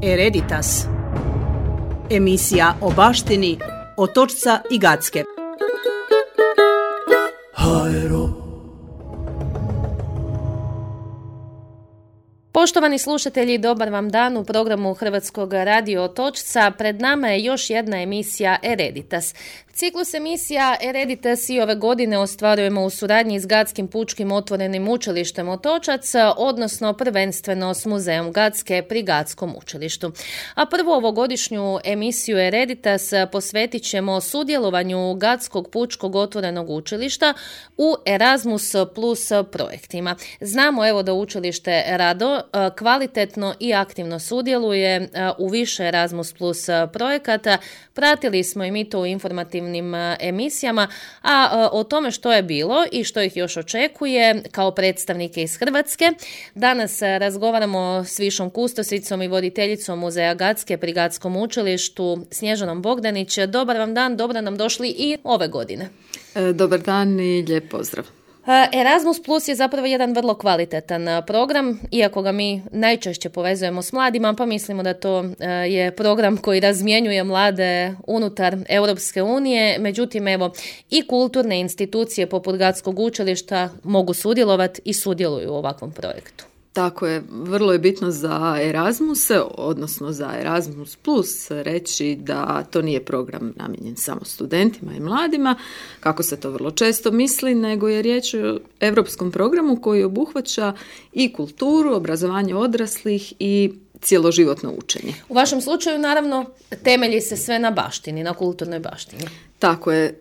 Hereditas. Emisija o baštini Otočca i Gacke. Poštovani slušatelji, dobar vam dan u programu Hrvatskog radio Otočca. Pred nama je još jedna emisija Hereditas. Ciklus emisija Hereditas i ove godine ostvarujemo u suradnji s Gatskim pučkim otvorenim učilištem Otočac, odnosno prvenstveno s Muzejom Gacke pri Gatskom učilištu. A prvu ovogodišnju emisiju Hereditas posvetit ćemo sudjelovanju Gatskog pučkog otvorenog učilišta u Erasmus Plus projektima. Znamo evo da učilište rado, kvalitetno i aktivno sudjeluje u više Erasmus Plus projekata. Pratili smo i mi to u informativnim emisijama, a o tome što je bilo i što ih još očekuje kao predstavnike iz Hrvatske. Danas razgovaramo s višom kustosicom i voditeljicom Muzeja Gacke pri Gatskom učilištu Snježanom Bogdanić. Dobar vam dan, dobro nam došli i ove godine. Dobar dan i lijep pozdrav. Erasmus Plus je zapravo jedan vrlo kvalitetan program, iako ga mi najčešće povezujemo s mladima, pa mislimo da to je program koji razmjenjuje mlade unutar Europske unije. Međutim, evo, i kulturne institucije poput Gatskog učilišta mogu sudjelovati i sudjeluju u ovakvom projektu. Tako je, vrlo je bitno za Erasmus, odnosno za Erasmus Plus reći da to nije program namijenjen samo studentima i mladima, kako se to vrlo često misli, nego je riječ o europskom programu koji obuhvaća i kulturu, obrazovanje odraslih i cjeloživotno učenje. U vašem slučaju, naravno, temelji se sve na baštini, na kulturnoj baštini. Tako je.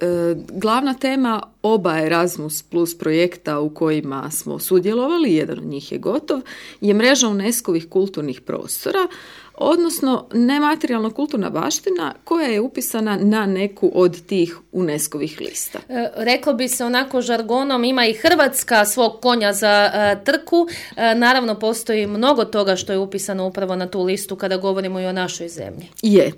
Glavna tema oba Erasmus Plus projekta u kojima smo sudjelovali, jedan od njih je gotov, je mreža UNESCO-vih kulturnih prostora, odnosno nematerijalna kulturna baština koja je upisana na neku od tih UNESCO-vih lista. Reklo bi se onako žargonom, ima i Hrvatska svog konja za trku. Naravno, postoji mnogo toga što je upisano upravo na tu listu kada govorimo i o našoj zemlji.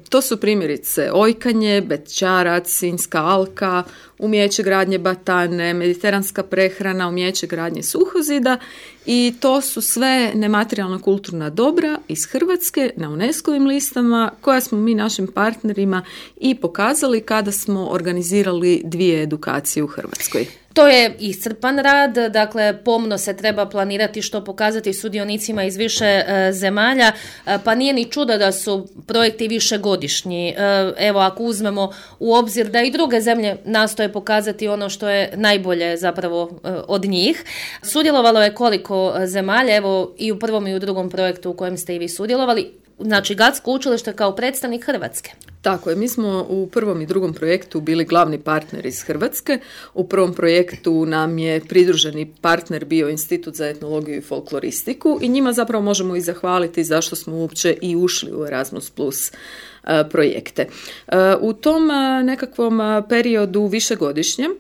To su primjerice Ojkanje, Bećarac, Sinjska alka, umijeće gradnje batane, mediteranska prehrana, umijeće gradnje suhozida i to su sve nematerijalna kulturna dobra iz Hrvatske na UNESCO-vim listama koja smo mi našim partnerima i pokazali kada smo organizirali 2 edukacije u Hrvatskoj. To je iscrpan rad, dakle pomno se treba planirati što pokazati sudionicima iz više zemalja, pa nije ni čudo da su projekti višegodišnji. Evo, ako uzmemo u obzir da i druge zemlje nastoje pokazati ono što je najbolje zapravo od njih. Sudjelovalo je koliko zemalja, evo i u prvom i u drugom projektu u kojem ste i vi sudjelovali, znači Gatsko učilište kao predstavnik Hrvatske. Tako je, mi smo u prvom i drugom projektu bili glavni partner iz Hrvatske. U prvom projektu nam je pridruženi partner bio Institut za etnologiju i folkloristiku i njima zapravo možemo i zahvaliti zašto smo uopće i ušli u Erasmus Plus projekte. U tom nekakvom periodu višegodišnjem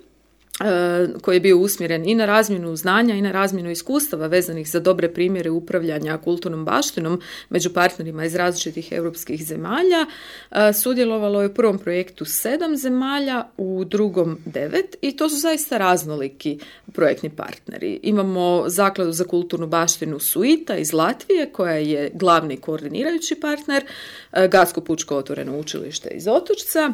koji je bio usmjeren i na razmjenu znanja i na razmjenu iskustava vezanih za dobre primjere upravljanja kulturnom baštinom među partnerima iz različitih europskih zemalja. Sudjelovalo je u prvom projektu 7 zemalja, u drugom 9 i to su zaista raznoliki projektni partneri. Imamo Zakladu za kulturnu baštinu Suita iz Latvije koja je glavni koordinirajući partner, Gatsko pučko otvoreno učilište iz Otočca.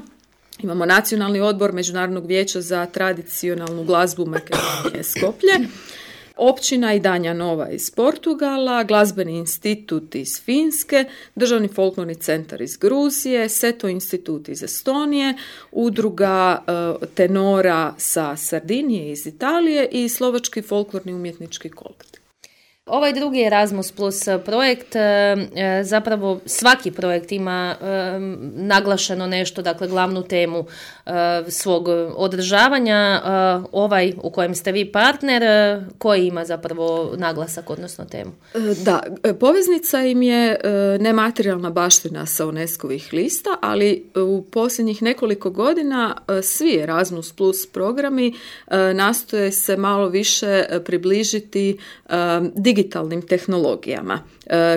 Imamo Nacionalni odbor Međunarodnog vijeća za tradicionalnu glazbu Makedonije Skoplje, općina Idanja Nova iz Portugala, Glazbeni institut iz Finske, Državni folklorni centar iz Gruzije, Seto institut iz Estonije, udruga tenora sa Sardinije iz Italije i Slovački folklorni umjetnički kolektiv. Ovaj drugi Erasmus Plus projekt, zapravo svaki projekt ima naglašeno nešto, dakle glavnu temu svog održavanja. Ovaj u kojem ste vi partner, koji ima zapravo naglasak, odnosno temu? Da, poveznica im je nematerijalna baština sa UNESCO-vih lista, ali u posljednjih nekoliko godina svi Erasmus Plus programi nastoje se malo više približiti digitalnom digitalnim tehnologijama,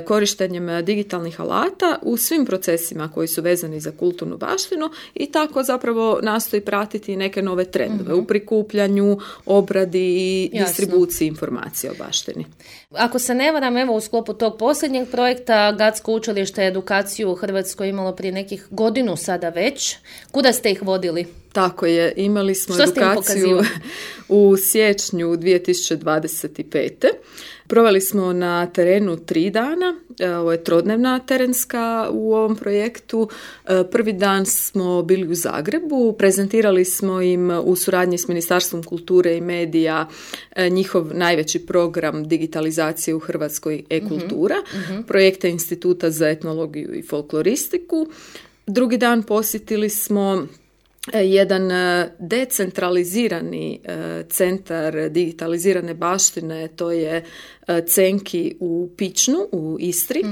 korištenjem digitalnih alata u svim procesima koji su vezani za kulturnu baštinu i tako zapravo nastoji pratiti neke nove trendove u prikupljanju, obradi i distribuciji informacija o baštini. Ako se ne varam, evo u sklopu tog posljednjeg projekta Gatsko učilište edukaciju u Hrvatskoj imalo prije nekih godinu sada već. Kuda ste ih vodili? Tako je, imali smo edukaciju u siječnju 2025. Proveli smo na terenu 3 dana, ovo je trodnevna terenska u ovom projektu. Prvi dan smo bili u Zagrebu, prezentirali smo im u suradnji s Ministarstvom kulture i medija njihov najveći program digitalizacije u Hrvatskoj e-kultura, projekte Instituta za etnologiju i folkloristiku. Drugi dan posjetili smo jedan decentralizirani centar digitalizirane baštine, to je Cenki u Pičnu u Istri,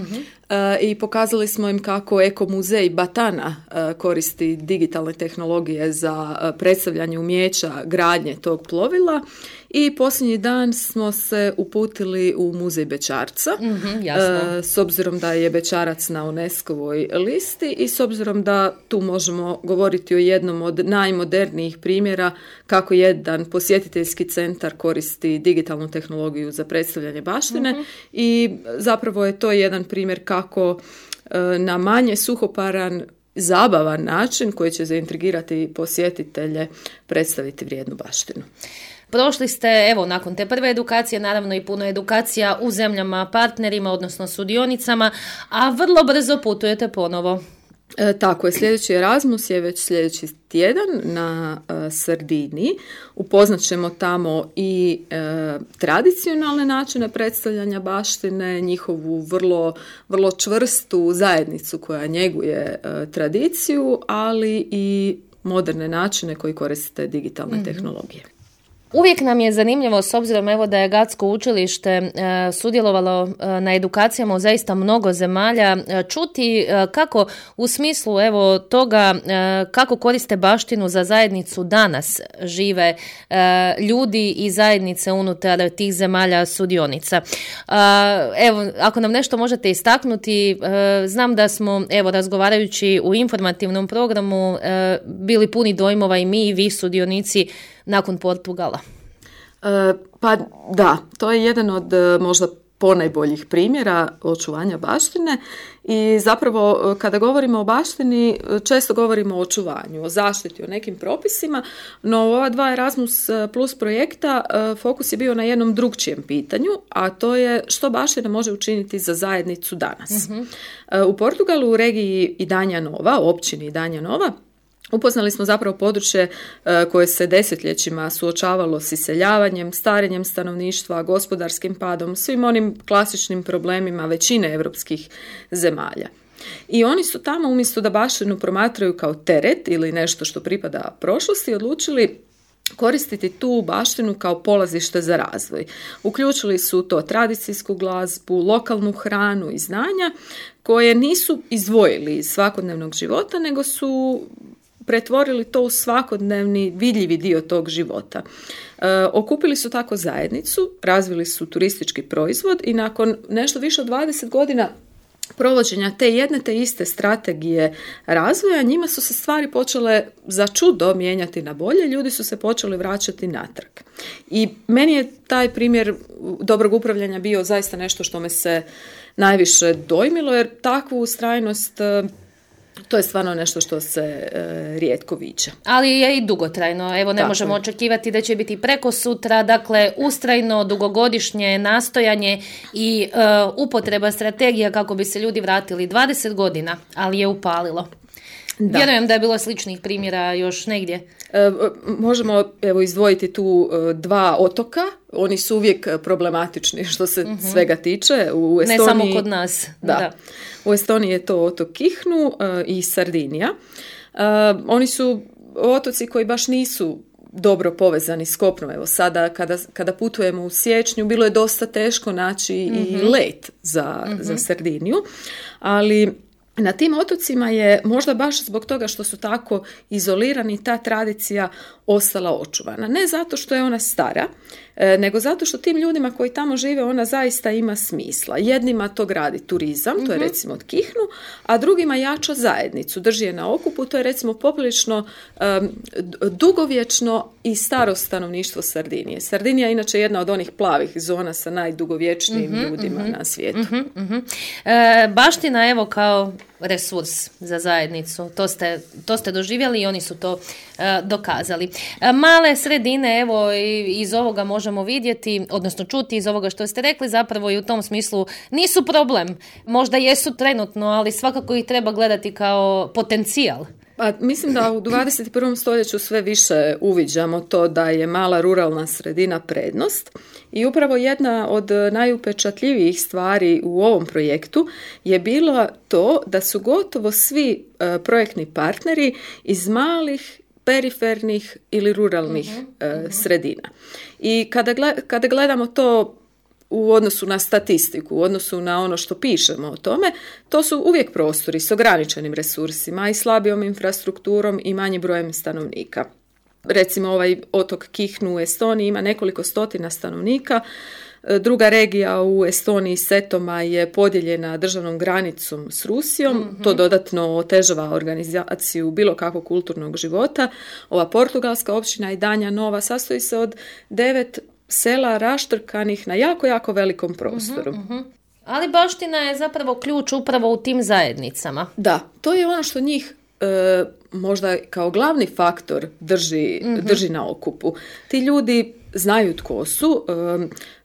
i pokazali smo im kako Eko muzej Batana koristi digitalne tehnologije za predstavljanje umijeća gradnje tog plovila. I posljednji dan smo se uputili u muzej Bećarca, s obzirom da je Bećarac na UNESCO-voj listi i s obzirom da tu možemo govoriti o jednom od najmodernijih primjera kako jedan posjetiteljski centar koristi digitalnu tehnologiju za predstavljanje baštine i zapravo je to jedan primjer kako na manje suhoparan, zabavan način koji će zaintrigirati posjetitelje predstaviti vrijednu baštinu. Prošli ste, evo, nakon te prve edukacije, naravno i puno edukacija u zemljama partnerima, odnosno sudionicama, a vrlo brzo putujete ponovo. Tako je, sljedeći Erasmus je već sljedeći tjedan na Sardiniji. Upoznat ćemo tamo i tradicionalne načine predstavljanja baštine, njihovu vrlo čvrstu zajednicu koja njeguje tradiciju, ali i moderne načine koji koriste digitalne tehnologije. Uvijek nam je zanimljivo, s obzirom evo da je Gatsko učilište sudjelovalo na edukacijama u zaista mnogo zemalja, čuti kako u smislu evo toga kako koriste baštinu za zajednicu danas žive ljudi i zajednice unutar tih zemalja sudionica. Evo, ako nam nešto možete istaknuti, znam da smo evo razgovarajući u informativnom programu bili puni dojmova i mi i vi sudionici nakon Portugala. Pa da, to je jedan od možda ponajboljih primjera očuvanja baštine i zapravo kada govorimo o baštini često govorimo o očuvanju, o zaštiti, o nekim propisima, no u ova 2 Erasmus Plus projekta fokus je bio na jednom drugčijem pitanju, a to je što baština može učiniti za zajednicu danas. U Portugalu u regiji Idanja Nova, općini Idanja Nova, upoznali smo zapravo područje koje se desetljećima suočavalo s iseljavanjem, starenjem stanovništva, gospodarskim padom, svim onim klasičnim problemima većine europskih zemalja. I oni su tamo, umjesto da baštinu promatraju kao teret ili nešto što pripada prošlosti, odlučili koristiti tu baštinu kao polazište za razvoj. Uključili su to tradicijsku glazbu, lokalnu hranu i znanja koje nisu izdvojili iz svakodnevnog života, nego su pretvorili to u svakodnevni vidljivi dio tog života. Okupili su tako zajednicu, razvili su turistički proizvod i nakon nešto više od 20 godina provođenja te jedne te iste strategije razvoja, njima su se stvari počele za čudo mijenjati na bolje, ljudi su se počeli vraćati natrag. I meni je taj primjer dobrog upravljanja bio zaista nešto što me se najviše dojmilo, jer takvu ustrajnost to je stvarno nešto što se rijetko viđa. Ali je i dugotrajno. Evo, ne možemo očekivati da će biti preko sutra. Dakle, ustrajno, dugogodišnje nastojanje i upotreba strategija kako bi se ljudi vratili 20 godina, ali je upalilo. Da. Vjerujem da je bilo sličnih primjera još negdje. Možemo izdvojiti tu 2 otoka. Oni su uvijek problematični što se svega tiče. U Estoniji, ne samo kod nas. Da. U Estoniji je to otok Kihnu i Sardinija. Oni su otoci koji baš nisu dobro povezani s kopnom. Evo sada kada putujemo u siječnju bilo je dosta teško naći i let za Sardiniju, ali na tim otocima je možda baš zbog toga što su tako izolirani ta tradicija ostala očuvana. Ne zato što je ona stara, nego zato što tim ljudima koji tamo žive ona zaista ima smisla. Jednima to gradi turizam, to je recimo od Kihnu, a drugima jača zajednicu, drži je na okupu, to je recimo poprilično dugovječno i staro stanovništvo Sardinije. Sardinija je inače jedna od onih plavih zona sa najdugovječnijim ljudima na svijetu. Baština evo kao resurs za zajednicu, to ste doživjeli i oni su to dokazali. Male sredine, evo iz ovoga možemo vidjeti, odnosno čuti iz ovoga što ste rekli, zapravo i u tom smislu nisu problem. Možda jesu trenutno, ali svakako ih treba gledati kao potencijal. Pa, mislim da u 21. stoljeću sve više uviđamo to da je mala ruralna sredina prednost i upravo jedna od najupečatljivijih stvari u ovom projektu je bilo to da su gotovo svi projektni partneri iz malih, perifernih ili ruralnih sredina. I kada gledamo to u odnosu na statistiku, u odnosu na ono što pišemo o tome, to su uvijek prostori s ograničenim resursima i slabijom infrastrukturom i manjim brojem stanovnika. Recimo ovaj otok Kihnu u Estoniji ima nekoliko stotina stanovnika, druga regija u Estoniji, Setoma, je podijeljena državnom granicom s Rusijom, to dodatno otežava organizaciju bilo kakvog kulturnog života. Ova portugalska općina Idanja Nova sastoji se od 9 sela raštrkanih na jako, jako velikom prostoru. Ali baština je zapravo ključ upravo u tim zajednicama. Da, to je ono što njih možda kao glavni faktor drži na okupu. Ti ljudi znaju tko su,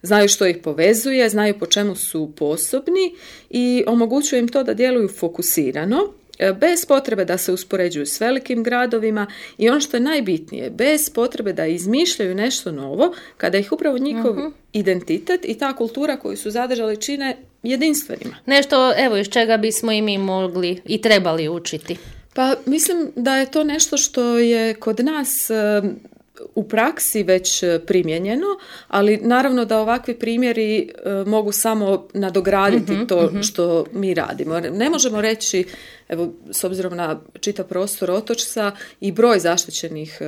znaju što ih povezuje, znaju po čemu su sposobni i omogućuje im to da djeluju fokusirano, bez potrebe da se uspoređuju s velikim gradovima i ono što je najbitnije, bez potrebe da izmišljaju nešto novo, kada ih upravo njihov identitet i ta kultura koju su zadržali čine jedinstvenima. Nešto, evo, iz čega bismo i mi mogli i trebali učiti. Pa mislim da je to nešto što je kod nas u praksi već primijenjeno, ali naravno da ovakvi primjeri mogu samo nadograditi to što mi radimo. Ne možemo reći, evo, s obzirom na čitav prostor Otočca i broj zaštićenih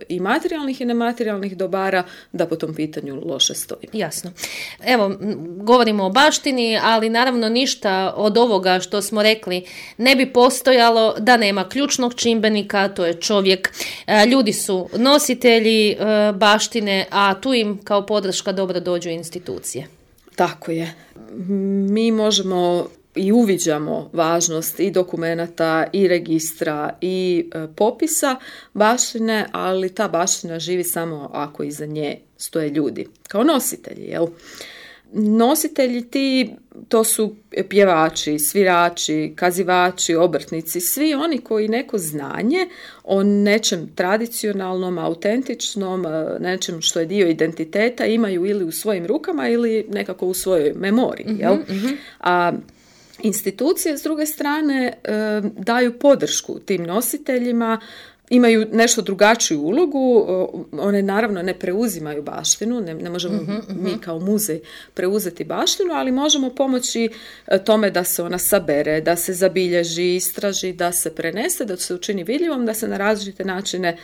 i materijalnih i nematerijalnih dobara, da po tom pitanju loše stoji. Jasno. Evo, govorimo o baštini, ali naravno ništa od ovoga što smo rekli ne bi postojalo da nema ključnog čimbenika, to je čovjek. Ljudi su nositelji baštine, a tu im kao podrška dobro dođu institucije. Tako je. Mi možemo i uviđamo važnost i dokumenata i registra i popisa baštine, ali ta baština živi samo ako iza nje stoje ljudi, kao nositelji, jel? Nositelji ti, to su pjevači, svirači, kazivači, obrtnici, svi oni koji neko znanje o nečem tradicionalnom, autentičnom, nečem što je dio identiteta imaju ili u svojim rukama ili nekako u svojoj memoriji, jel? A institucije, s druge strane, daju podršku tim nositeljima, imaju nešto drugačiju ulogu, one naravno ne preuzimaju baštinu, ne možemo mi kao muzej preuzeti baštinu, ali možemo pomoći tome da se ona sabere, da se zabilježi, istraži, da se prenese, da se učini vidljivom, da se na različite načine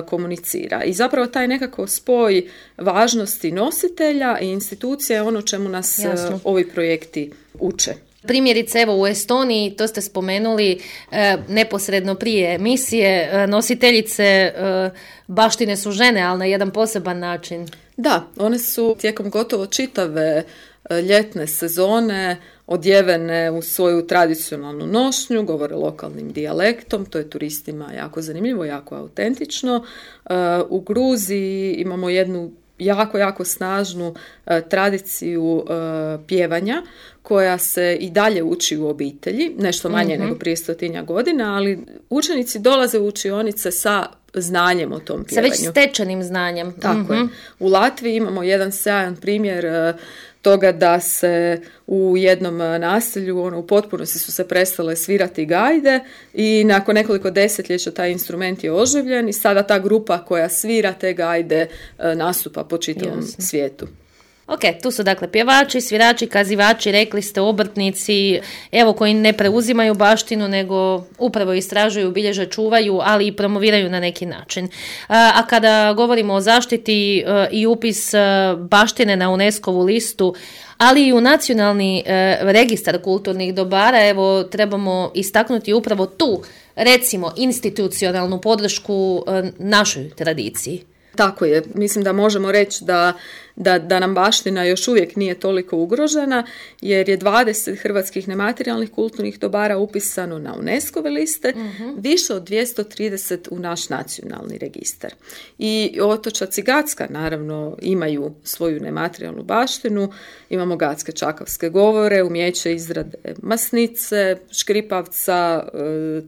komunicira. I zapravo taj nekako spoj važnosti nositelja i institucija je ono čemu nas ovi projekti uče. Primjerice, evo u Estoniji, to ste spomenuli neposredno prije emisije, nositeljice baštine su žene, ali na jedan poseban način. Da, one su tijekom gotovo čitave ljetne sezone odjevene u svoju tradicionalnu nošnju, govore lokalnim dijalektom, to je turistima jako zanimljivo, jako autentično. U Gruziji imamo jednu jako, jako snažnu tradiciju pjevanja koja se i dalje uči u obitelji, nešto manje nego prije 100 godina, ali učenici dolaze u učionice sa znanjem o tom pjevanju. Sa već stečenim znanjem. Tako je. U Latviji imamo jedan sjajan primjer toga da se u jednom naselju u potpunosti su se prestale svirati gajde i nakon nekoliko desetljeća taj instrument je oživljen i sada ta grupa koja svira te gajde nastupa po čitavom svijetu. Ok, tu su dakle pjevači, svirači, kazivači, rekli ste obrtnici, evo koji ne preuzimaju baštinu nego upravo istražuju, bilježe, čuvaju, ali i promoviraju na neki način. A kada govorimo o zaštiti i upis baštine na UNESCO-vu listu, ali i u nacionalni registar kulturnih dobara, evo trebamo istaknuti upravo tu, recimo, institucionalnu podršku našoj tradiciji. Tako je. Mislim da možemo reći da nam baština još uvijek nije toliko ugrožena, jer je 20 hrvatskih nematerijalnih kulturnih dobara upisano na UNESCO-ve liste, više od 230 u naš nacionalni registar. I otočac i Gacka naravno imaju svoju nematerijalnu baštinu, imamo Gacke čakavske govore, umijeće izrade masnice, škripavca,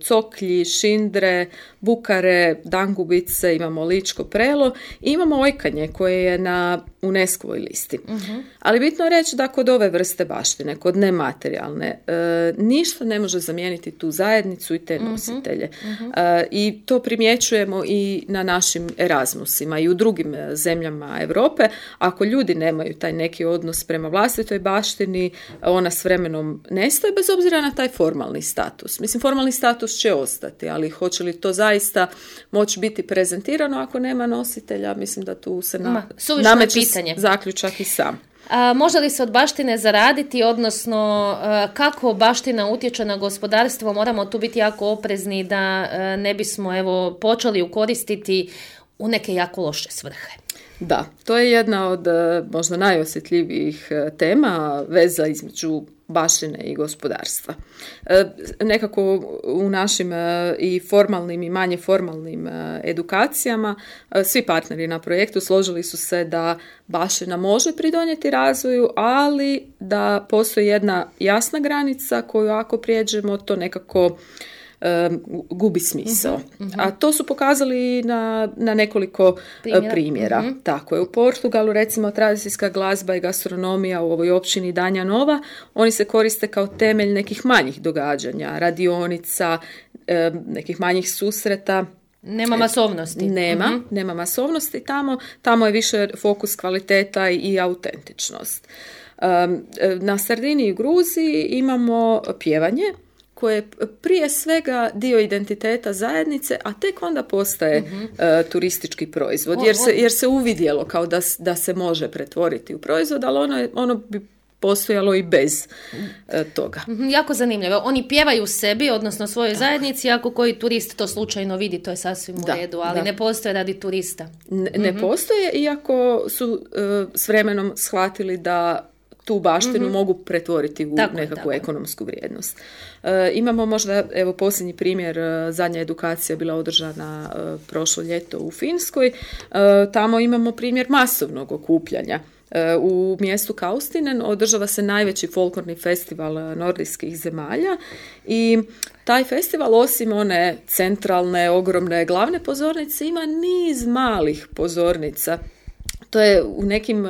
coklji, šindre, bukare, dangubice, imamo ličko prelo i imamo ojkanje koje je na UNESCO-voj listi. Ali bitno je reći da kod ove vrste baštine, kod nematerijalne, ništa ne može zamijeniti tu zajednicu i te nositelje. I to primjećujemo i na našim Erasmusima i u drugim zemljama Europe. Ako ljudi nemaju taj neki odnos prema vlastitoj baštini, ona s vremenom nestaje bez obzira na taj formalni status. Mislim, formalni status će ostati, ali hoće li to zaista moći biti prezentirano ako nema nositelja? Mislim da tu se nameće zaključak i sam. Može li se od baštine zaraditi, odnosno kako baština utječe na gospodarstvo? Moramo tu biti jako oprezni da ne bismo počeli ju koristiti u neke jako loše svrhe. Da, to je jedna od možda najosjetljivijih tema, veza između baštine i gospodarstva. Nekako u našim i formalnim i manje formalnim edukacijama svi partneri na projektu složili su se da baština može pridonijeti razvoju, ali da postoji jedna jasna granica koju ako prijeđemo to nekako gubi smisao. A to su pokazali na nekoliko primjera. Tako je. U Portugalu recimo tradicijska glazba i gastronomija u ovoj općini Danja Nova, oni se koriste kao temelj nekih manjih događanja, radionica, nekih manjih susreta. Nema masovnosti. Nema masovnosti tamo je više fokus kvaliteta i autentičnost. Na Sardiniji i Gruziji imamo pjevanje koje je prije svega dio identiteta zajednice, a tek onda postaje turistički proizvod, jer se uvidjelo kao da se može pretvoriti u proizvod, ali ono bi postojalo i bez toga. Jako zanimljivo. Oni pjevaju sebi, odnosno svojoj zajednici, ako koji turist to slučajno vidi, to je sasvim u redu, ali ne postoje radi turista. Ne postoje, iako su s vremenom shvatili da tu baštinu mogu pretvoriti u nekakvu ekonomsku vrijednost. Imamo možda, posljednji primjer, zadnja edukacija je bila održana prošlo ljeto u Finskoj. Tamo imamo primjer masovnog okupljanja. U mjestu Kaustinen održava se najveći folklorni festival nordijskih zemalja i taj festival osim one centralne, ogromne, glavne pozornice ima niz malih pozornica. To je u nekim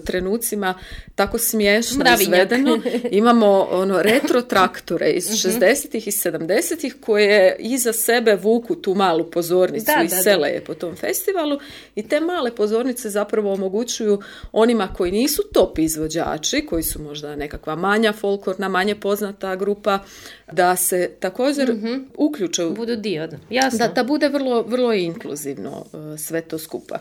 trenucima tako smiješno izvedeno. Imamo retro traktore iz 60-ih i 70-ih koje iza sebe vuku tu malu pozornicu i sele je po tom festivalu i te male pozornice zapravo omogućuju onima koji nisu top izvođači, koji su možda nekakva manja folklorna, manje poznata grupa, da se također uključe. Budu dio, jasno. Da bude vrlo, vrlo inkluzivno sve to skupa.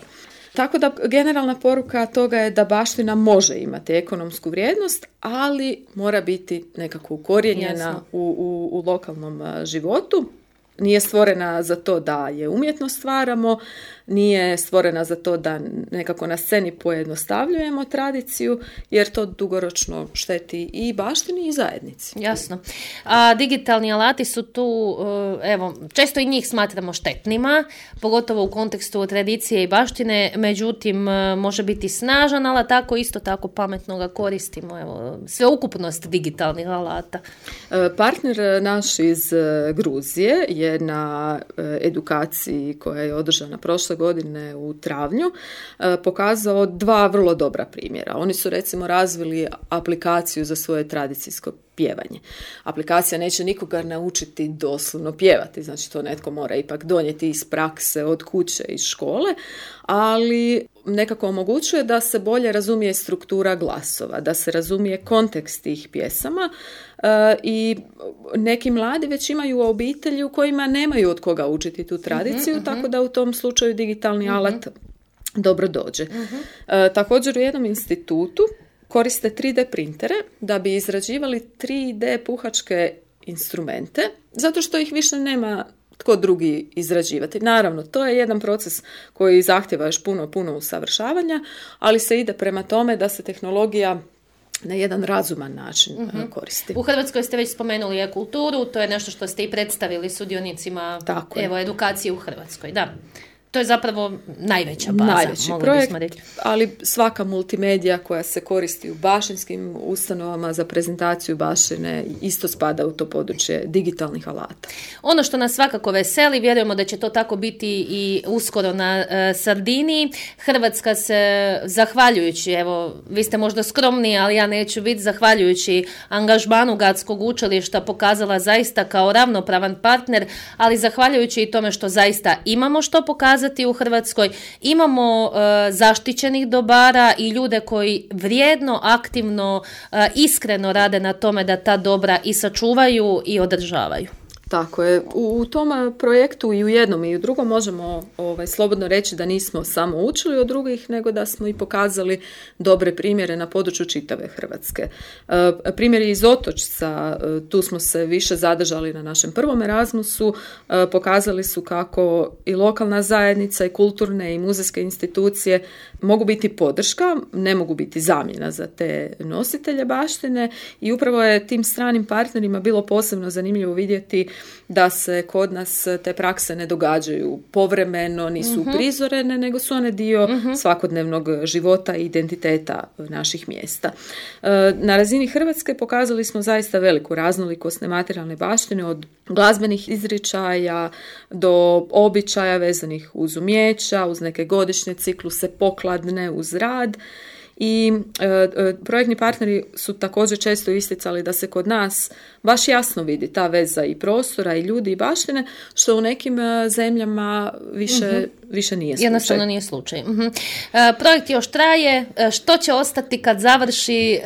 Tako da generalna poruka toga je da baština može imati ekonomsku vrijednost, ali mora biti nekako ukorijenjena u lokalnom životu. Nije stvorena za to da je umjetno stvaramo, nije stvorena za to da nekako na sceni pojednostavljujemo tradiciju, jer to dugoročno šteti i baštini i zajednici. Jasno. A digitalni alati su tu, često i njih smatramo štetnima, pogotovo u kontekstu tradicije i baštine, međutim može biti snažan, ali isto tako pametno ga koristimo. Sveukupnost digitalnih alata. Partner naš iz Gruzije je na edukaciji koja je održana prošle godine u travnju pokazao dva vrlo dobra primjera. Oni su recimo razvili aplikaciju za svoje tradicijsko pjevanje. Aplikacija neće nikoga naučiti doslovno pjevati, znači to netko mora ipak donijeti iz prakse, od kuće, iz škole, ali nekako omogućuje da se bolje razumije struktura glasova, da se razumije kontekst tih pjesama i neki mladi već imaju obitelji u kojima nemaju od koga učiti tu tradiciju, tako da u tom slučaju digitalni alat dobro dođe. Također u jednom institutu koriste 3D printere da bi izrađivali 3D puhačke instrumente, zato što ih više nema tko drugi izrađivati. Naravno, to je jedan proces koji zahtjeva još puno usavršavanja, ali se ide prema tome da se tehnologija na jedan razuman način koristi. U Hrvatskoj ste već spomenuli e-kulturu, to je nešto što ste i predstavili sudionicima edukacije u Hrvatskoj. Da. To je zapravo najveća baza. Najveći projekt, ali svaka multimedija koja se koristi u baštinskim ustanovama za prezentaciju baštine isto spada u to područje digitalnih alata. Ono što nas svakako veseli, vjerujemo da će to tako biti i uskoro na Sardiniji. Hrvatska se, zahvaljujući, evo, vi ste možda skromni, ali ja neću biti, zahvaljujući angažmanu Gatskog učilišta pokazala zaista kao ravnopravan partner, ali zahvaljujući i tome što zaista imamo što pokazati u Hrvatskoj, imamo zaštićenih dobara i ljude koji vrijedno, aktivno, iskreno rade na tome da ta dobra i sačuvaju i održavaju. Tako je. U tom projektu i u jednom i u drugom možemo slobodno reći da nismo samo učili od drugih, nego da smo i pokazali dobre primjere na području čitave Hrvatske. Primjeri iz Otočca, tu smo se više zadržali na našem prvom Erasmusu, pokazali su kako i lokalna zajednica i kulturne i muzejske institucije mogu biti podrška, ne mogu biti zamjena za te nositelje baštine i upravo je tim stranim partnerima bilo posebno zanimljivo vidjeti da se kod nas te prakse ne događaju povremeno, nisu prizorene, nego su one dio svakodnevnog života i identiteta naših mjesta. Na razini Hrvatske pokazali smo zaista veliku raznolikost nematerijalne baštine, od glazbenih izričaja do običaja vezanih uz umijeća, uz neke godišnje cikluse, pokladne, uz rad. I projektni partneri su također često isticali da se kod nas baš jasno vidi ta veza i prostora i ljudi i baštine, što u nekim zemljama više nije slučaj. Jednostavno nije slučaj. Projekt još traje, što će ostati kad završi,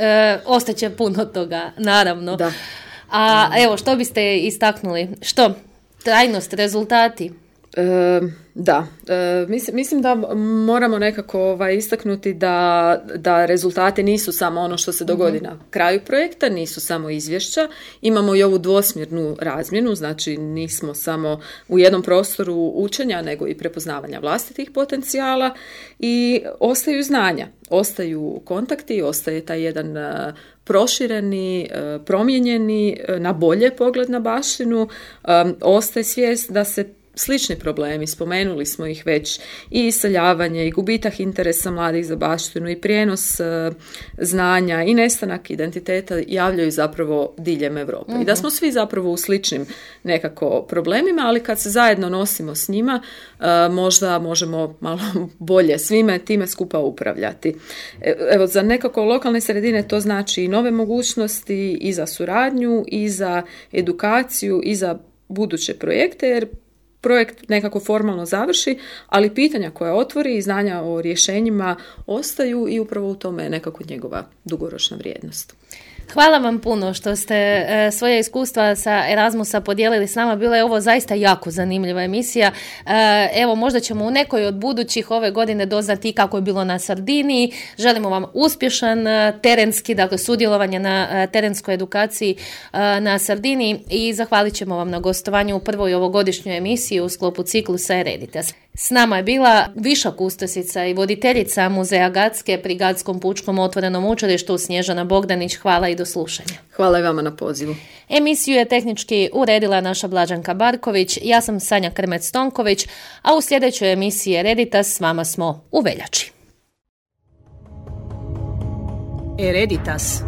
ostaće puno toga, naravno. Da. A evo, što biste istaknuli? Što? Trajnost, rezultati? Mislim da moramo nekako istaknuti da rezultati nisu samo ono što se dogodi na kraju projekta, nisu samo izvješća, imamo i ovu dvosmjernu razmjenu, znači nismo samo u jednom prostoru učenja, nego i prepoznavanja vlastitih potencijala i ostaju znanja, ostaju kontakti, ostaje taj jedan prošireni, promijenjeni, na bolje pogled na baštinu, ostaje svijest da se slični problemi, spomenuli smo ih već, i iseljavanje i gubitak interesa mladih za baštinu i prijenos znanja i nestanak identiteta javljaju zapravo diljem Europe. I da smo svi zapravo u sličnim nekako problemima, ali kad se zajedno nosimo s njima, možda možemo malo bolje svime time skupa upravljati. Evo, za nekako lokalne sredine to znači i nove mogućnosti i za suradnju i za edukaciju i za buduće projekte, jer projekt nekako formalno završi, ali pitanja koja otvori i znanja o rješenjima ostaju i upravo u tome je nekako njegova dugoročna vrijednost. Hvala vam puno što ste svoje iskustva sa Erasmusa podijelili s nama. Bila je ovo zaista jako zanimljiva emisija. Evo, možda ćemo u nekoj od budućih ove godine doznati kako je bilo na Sardiniji. Želimo vam uspješan terenski, dakle sudjelovanje na terenskoj edukaciji na Sardiniji i zahvalit ćemo vam na gostovanju u prvoj ovogodišnjoj emisiji u sklopu ciklusa Ereditas. S nama je bila viša kustosica i voditeljica Muzeja Gatske pri Gatskom pučkom otvorenom učilištu Snježana Bogdanić. Hvala i do slušanja. Hvala i vama na pozivu. Emisiju je tehnički uredila naša Blaženka Barković, ja sam Sanja Krmec-Tonković, a u sljedećoj emisiji Ereditas s vama smo u veljači. Ereditas.